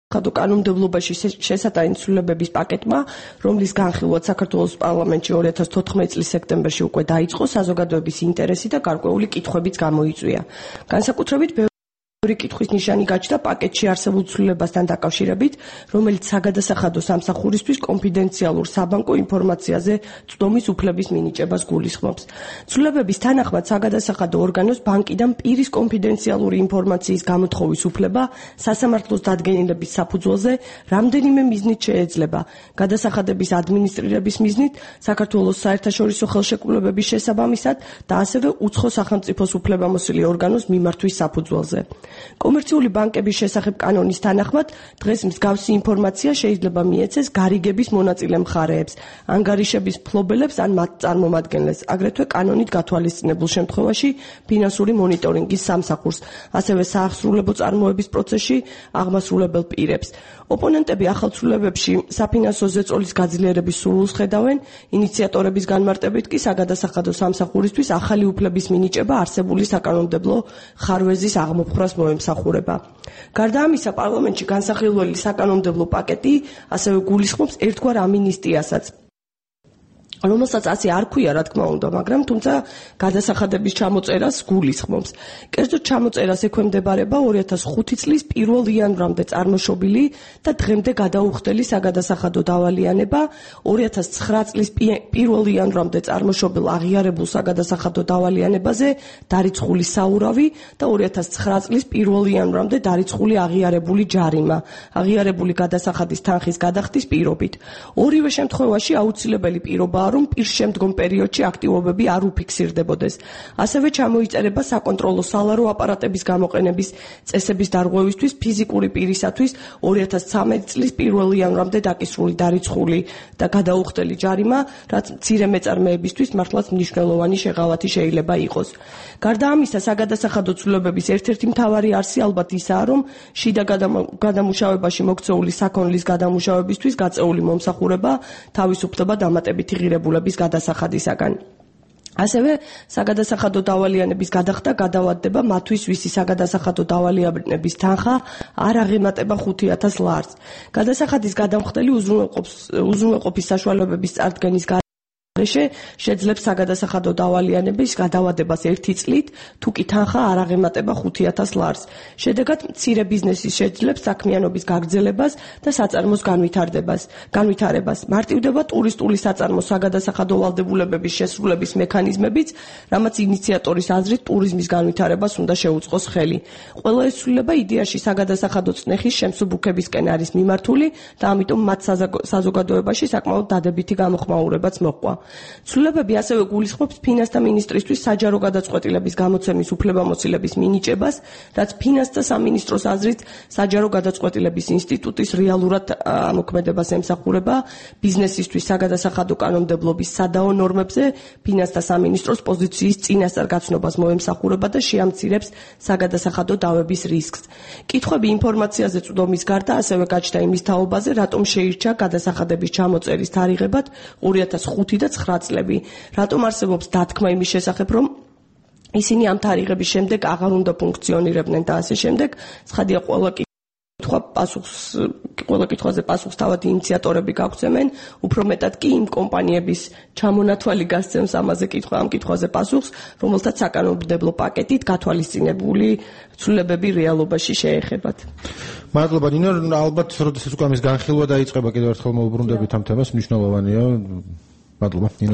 ხადო კანონმდებლობაში შესატანი ცვლილებების პაკეტმა, რომლის განხილვაც საქართველოს პარლამენტში 2014 წლის სექტემბერში უკვე დაიწყო, საზოგადოების ინტერესი და გარკვეული კითხვებიც გამოიწვია. განსაკუთრებით ორი კითხვის ნიშანი გაჩნდა პაკეტში არსებულ ცვლილებასთან დაკავშირებით, რომელიც საგადასახადო სამსახურისთვის კონფიდენციალურ საბანკო ინფორმაციაზე წვდომის უფლების მინიჭებას გულისხმობს. ცვლილებების თანახმად საგადასახადო ორგანოს ბანკიდან პირის კონფიდენციალური ინფორმაციის გამოთხოვის უფლება სასამართლოს დადგენილების საფუძველზე რამდენიმე მიზნით შეეძლება. გადასახადების ადმინისტრირების მიზნით, საქართველოს საერთაშორისო ხელშეკრულებების შესაბამისად და ასევე უცხო სახელმწიფოს უფლებამოსილი ორგანოს მიმართვის საფუძველზე. კომერციული ბანკების შესახებ კანონის თანახმად, დღეს მსგავსი ინფორმაცია შეიძლება მიეცეს გარიგების მონაწილე მხარეებს, ანგარიშების მფლობელებს ან მათ წარმომადგენლებს, აგრეთვე კანონით გათვალისწინებულ შემთხვევაში ფინანსური მონიტორინგის სამსახურს, ასევე საახსრულებო წარმოების პროცესში აღმასრულებელ პირებს. ოპონენტები ახალ ცვლილებებში საფინანსო ზეწოლის გაძლიერების სურვილს ხედავენ, ინიციატორების განმარტებით კი საგადასახადო სამსახურისთვის ახალი უფლების მინიჭება არსებული საკანონმდებლო ხარვეზის აღმოფხვრას მოემსახურება. გარდა ამისა, პარლამენტში განსახილველი საკანონმდებლო პაკეტი ასევე გულისხმობს ერთგვარ ამინისტიასაც, რომელსაც ასე არ ქვია, რა თქმა უნდა, მაგრამ თუმცა გადასახადების ჩამოწერას გულისხმობს. კერძოდ ჩამოწერას ექვემდებარება 2005 წლის 1 იანვრამდე წარმოშობილი და დღემდე გადაუხდელი საგადასახადო დავალიანება, 2009 წლის 1 იანვრამდე წარმოშობილ აღიარებულ საგადასახადო დავალიანებაზე დარიცხული საურავი და 2009 წლის 1 იანვრამდე დარიცხული აღიარებული ჯარიმა, აღიარებული გადასახადის თანხის გადახდის პირობით. ორივე შემთხვევაში აუცილებელი პირობაა, რომ პირშემდგომ პერიოდში აქტივობები არ უფიქსირდებოდეს. ასევე ჩამოიწერება საკონტროლო სალარო აპარატების გამოყენების წესების დარღვევისთვის ფიზიკური პირისათვის 2013 წლის 1 იანვრამდე დაკისრული დარიცხული და გადაუხდელი ჯარიმა, რაც მცირე მეწარმეებისთვის მართლაც მნიშვნელოვანი შეღავათი შეიძლება იყოს. გარდა ამისა, საგადასახადო ცვლილებების ერთ-ერთი მთავარი არსი ალბათ ისაა, რომ შიდა გადამუშავებაში მოქცეული საქონლის გადამუშავებისთვის გაწეული მომსახურება თავისუფლდება დამატებითი ღირებულების გადასახადისაგან. ასევე საგადასახადო დავალიანების გადახდა გადავადდება მათთვის, ვისი საგადასახადო დავალიანების თანხა არ აღემატება 5000 ლარს. გადასახადის გადამხდელი უზრუნველყოფის საშუალებების წარდგენის შეძლებს საგადასახადო დავალიანების გადავადებას 1 წლით, თუ კი თანხა არ აღემატება 5000 ლარს. შედეგად მცირე ბიზნესი შეძლებს საქმიანობის გაგრძელებას და საწარმოს განვითარებას. მარტივდება ტურისტული საწარმოს საგადასახადო ვალდებულებების შესრულების მექანიზმებიც, რამაც ინიციატორის აზრით ტურიზმის განვითარებას უნდა შეუწყოს ხელი. ყველა ეს ცვლილება იდეაში საგადასახადო წნეხის შემსუბუქებისკენ არის მიმართული და ამიტომ მათ საზოგადოებაში საკმაოდ დადებითი გამოხმაურებაც მოჰყვა. ცვლილებები ასევე გულისხმობს ფინანსთა მინისტრისთვის საჯარო გადაწყვეტილების გამოცემის უფლებამოსილების მინიჭებას, რაც ფინანსთა სამინისტროს აზრით საჯარო გადაწყვეტილების ინსტიტუტის რეალურად ამოქმედებას ემსახურება, ბიზნესისთვის საგადასახადო კანონმდებლობის სადაო ნორმებზე ფინანსთა სამინისტროს პოზიციის წინასწარ გაცნობას მოემსახურება და შეამცირებს საგადასახადო დავების რისკს. კითხვები ინფორმაციაზე წვდომის გარდა ასევე გაჩნდა იმის თაობაზე, რატომ შეირჩა გადასახადების ჩამოწერის თარიღებად 2005 და 9 წლები. რატომ არსებობს დათქმა იმის შესახებ, რომ ისინი ამ თარიღების შემდეგ აღარ უნდა ფუნქციონირებდნენ და ასე შემდეგ. ცხადია, ყველა კითხვაზე პასუხს თავად ინიციატორები გაგვცემენ, უფრო მეტად კი იმ კომპანიების ჩამონათვალი გასცემს ამ კითხვაზე პასუხს, რომელთაც საკანონმდებლო პაკეტით გათვალისწინებული ცვლილებები რეალობაში შეეხებათ. მადლობა ნინო, ალბათ როდესაც უკვე ამის განხილვა დაიწყება, კიდევ ერთხელ მოვუბრუნდებით ამ თემას, მნიშვნელოვანია. მადლობა ნინო.